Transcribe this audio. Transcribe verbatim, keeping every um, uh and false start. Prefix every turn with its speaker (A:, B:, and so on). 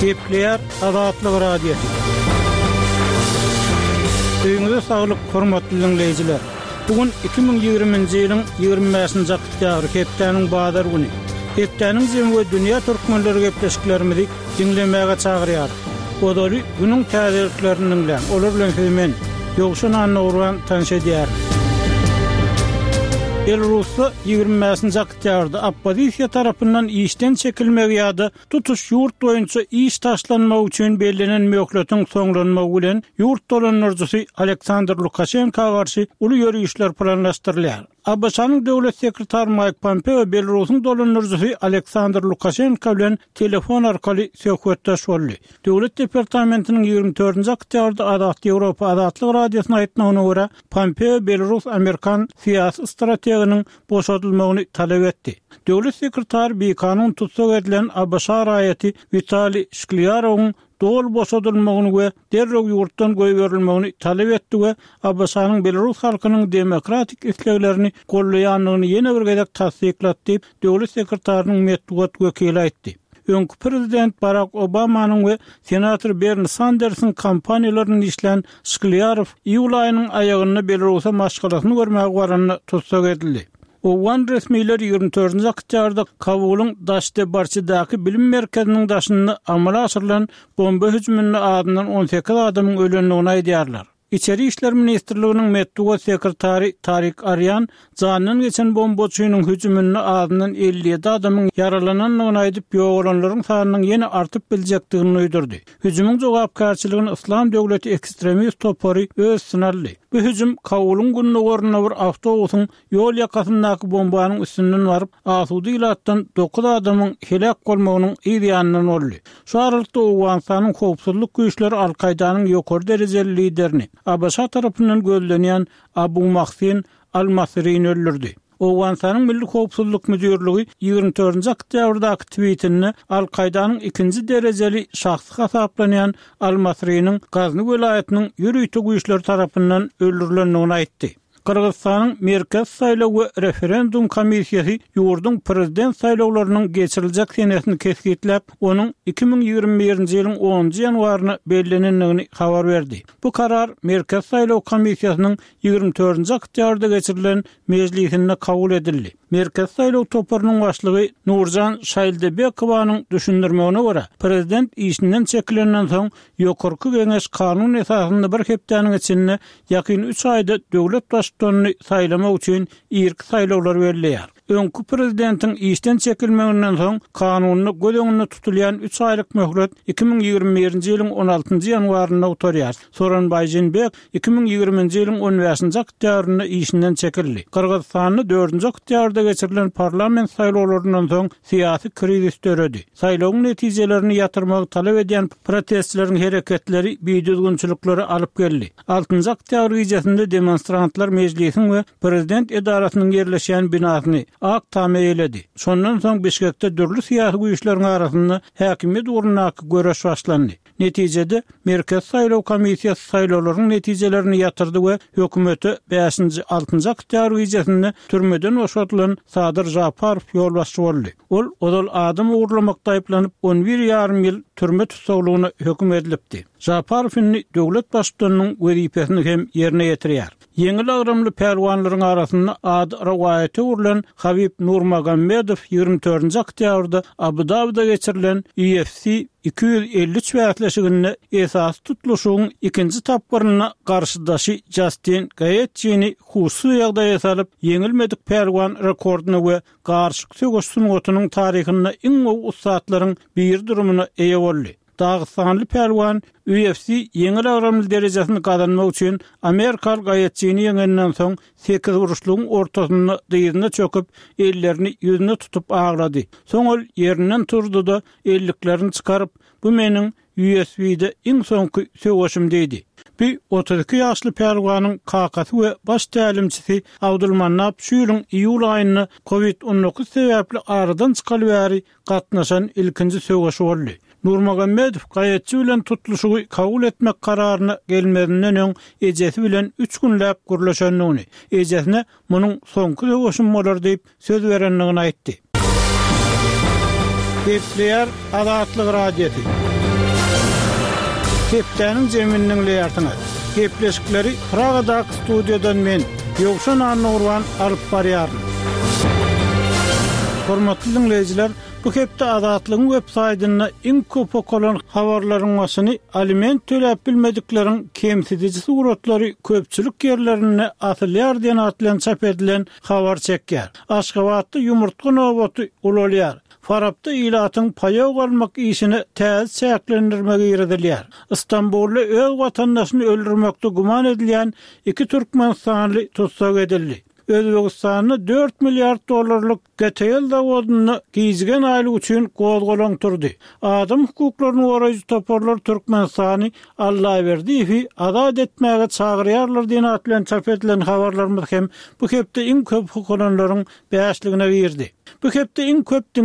A: Gepleýär Azatlyk Radiosy. Öýüňize saglyk, hormatly diňleýjiler. Bu gün iki müň ýigriminji ýylyň ýigrimi bäşinji oktýabry, hepdäniň bazar güni. Hepdäniň jemi we dünýä türkmenleri gepleşiklerimizi diňlemäge çagyrýarys. Ozaly günüň täzeliklerini diňläň. Olar bilen sizi men, Ýowşan Annagurban tanyş edýärin. Belarusda ýigrimi bäşinji oktýabrda oppozisiýa tarapyndan işden çekilmegi ýa-da tutuş ýurt boýunça iş taşlanmagy üçin bellenen möhletiň soňlanmagy bilen ýurt dolandyryjysy Aleksandr Lukaşenka garşy uly ýörişler planlaşdyrylýar. A B Ş-nyň döwlet sekretary Maýk Pompeo Belarusyň dolandyryjysy Aleksandr Lukaşenka bilen telefon arkaly söhbetdeş boldy. Döwlet departamentiniň ýigrimi dördünji oktýabrda Azat Ýewropa Azatlyk Radiosyna aýtmagyna görä, Pompeo Belarus-Amerikan syýasy strateginiň boşadylmagyny talap etdi. Döwlet sekretary bikanun tussag edilen A B Ş raýaty Witaliý Şklýarowyň doly boşadylmagyny we derrew ýurtdan goýberilmegini talap etdi we A B Ş-nyň Belarus halkynyň demokratik isleglerini gollaýandygyny ýene bir gezek tassyklady diýip, döwlet sekretarynyň metbugat wekili aýtdy. Öňki prezident Barak Obamanyň we senator Berni Sandersiň kampaniýalaryny işlän Şklýarow iýul aýynyň aýagynda Belarusa maşgalasyny görmäge baranda tussag edildi. Owgan resmiler ýigrimi dördünji oktýabrda Kabulyň Daşdebarçydaky bilim merkeziniň daşynda amala aşyrylan bomba hüjüminde azyndan on sekiz adamyň ölendigini aýdýarlar. Içeri işler ministrliginiň metbugat sekretary Tarik Arýan jandan geçen bombaçynyň hüjüminde azyndan elli ýedi adamyň ýaralanandygyny aýdyp, ýogalanlaryň sanynyň ýene artyp biljekdigini duýdurdy. Hüjümiň jogapkärçiligini Yslam döwleti ekstremist topary öz üstüne aldy. Bu hüjüm Kabulyň gündogarynda bir awtobusyň ýol ýakasyndaky bombanyň üstünden baryp, asuda ilatdan dokuz adamyň heläk bolmagynyň yz ýanyndan boldy. Şu aralykda Owganystanyň howpsuzlyk güýçleri Al-Kaýdanyň ýokary derejeli liderini A B Ş tarapyndan gözlenýän Abu Mahsin Al-Masrini öldürdi. Owganystanyň Milli Howpsuzlyk Müdirligi ýigrimi dördünji oktýabrdaky tweetinde Al-Kaýdanyň ikinji derejeli şahsy hasaplanýan Al-Masriniň Gazny welaýatynyň ýörite güýçleri tarapyndan öldürilendigini aýtdy. Gyrgyzystanyň Merkez saýlaw we referendum komissiýasy ýurduň prezident saýlawlarynyň geçiriljek senesini kesgitläp, onuň iki müň ýigrimi birinji ýylyň onunjy ýanwaryna bellenendigini habar berdi. Bu karar Merkez saýlaw komissiýasynyň ýigrimi dördünji oktýabrda geçirilen mejlisinde kabul edildi. Merkez saýlaw toparynyň başlygy Nurjan Şaýldebekowanyň düşündirmegine görä, prezident işinden çekilenden soň ýokarky geňeş kanun esasynda bir hepdäniň içinde ýakyn üç aýda döwlet baştutanyny saýlamak üçin irki saýlawlar belleýär. Öňki prezidentiň işden çekilmeginden soň kanunda göz öňünde tutulýan üç aýlyk möhlet iki müň ýigrimi birinji ýylyň on altynjy ýanwarynda gutarýar. Soranbaý Jeenbek iki müň ýigriminji ýylyň on bäşinji oktýabrynda işinden çekildi. Gyrgyzystanda dördünji oktýabrda geçirilen parlament saýlawlaryndan soň syýasy krizis döredi. Saýlawyň netijelerini ýatyrmagy talap edýän protestçileriň hereketleri bidüzgünçiliklere alyp geldi. Altynjy oktýabr gecesinde demonstrantlar mejlisiň we prezident edarasynyň ýerleşýän binasyny Ak Tama eýledi. Şondan soň Bişkekde dürli syýasy güýçleriň arasynda häkimiýet ugrundaky göreş başlandy. Netijede Merkez saýlaw komissiýasy saýlawlaryň netijelerini ýatyrdy we hökümete bäşinji, altynjy oktýabr gecesinde türmeden boşadylan Sadyr Japarow ýolbaşçy boldy. Ol ozal adam ogurlamakda aýyplanyp on bir ýarym ýyl türme tussaglygyna höküm edilipdi. Japarow indi döwlet baştutanynyň wezipesini hem ýerine ýetirýär. Ýeňil agramly pälwanlaryň arasynda ady rowaýata öwrülen Habib Nurmagombedow ýigrimi dördünji oktýabrda Abu Dabida geçirilen U F C iki ýüz elli üç bäsleşiginde esasy tutluşygyň ikinji tapgyrynda garşydaşy Justin Gaethjini huşsuz ýagdaýa salyp, ýeňilmedik pälwan rekordyna we garşyk söweş sungatynyň taryhynda iň gowy ussatlaryň biri durumuna eýe boldy. Dagystanly pälwan U F C ýeňil agramly derejesini gazanmak üçin Amerikaly Gaethjini ýeňenden soň sekiz burçlugyň ortasynda dyzyna çöküp, ellerini ýüzüne tutup aglady. Soň ol ýerinden turdy-da elliklerini çykaryp, bu meniň U F C-de iň soňky söweşim diýdi. Bu otuz iki ýaşly pälwanyň kakasy we baş tälimçisi Abdulmannap şu ýylyň iýul aýynda COVID on dokuz sebäpli aradan çykaly bäri gatnaşan ilkinji söweşi boldy. Nurmagombedow Gaethji bilen tutluşygy kabul etmek kararyna gelmezinden öň ejesi bilen üç günläp gürleşendigini, ejesine munuň soňky söweşim bolar diýip söz berendigini aýtdy. Gepleýär Azatlyk Radiosy. Hepdäniň jemini diňleýärsiňiz. Gepleşikleri Pragadaky studiýadan men, Ýowşan Annagurban alyp barýaryn. Hormatly diňleýjiler, bu hepde Azatlygyň web saýtynda iň köp okalan habarlaryň başyny aliment töläp bilmedikleriň kemsidiji suratlary köpçülik ýerlerinde asylýar diýen at bilen çap edilen habar çekýär. Aşgabatda ýumurtga nobaty ulalýar. Farapda ilatyň paýok almak işine täze çäklendirme girizilýär. Istanbulda öz watandaşyny öldürmekde güman edilýän iki türkmenistanly tussag edildi. Özbegistanda dört milliard dollarlyk G T L zawodynda gijigen aýlyk üçin gozgalaň turdy. Adam hukuklaryny goraýjy toparlar Türkmenistany Allaberdiýewi azat etmäge çagyrýarlar diýen at bilen çap edilen habarlarymyz hem bu hepde iň köp okalanlaryň bäşligine girdi. Bu hepde iň köp diňlenenler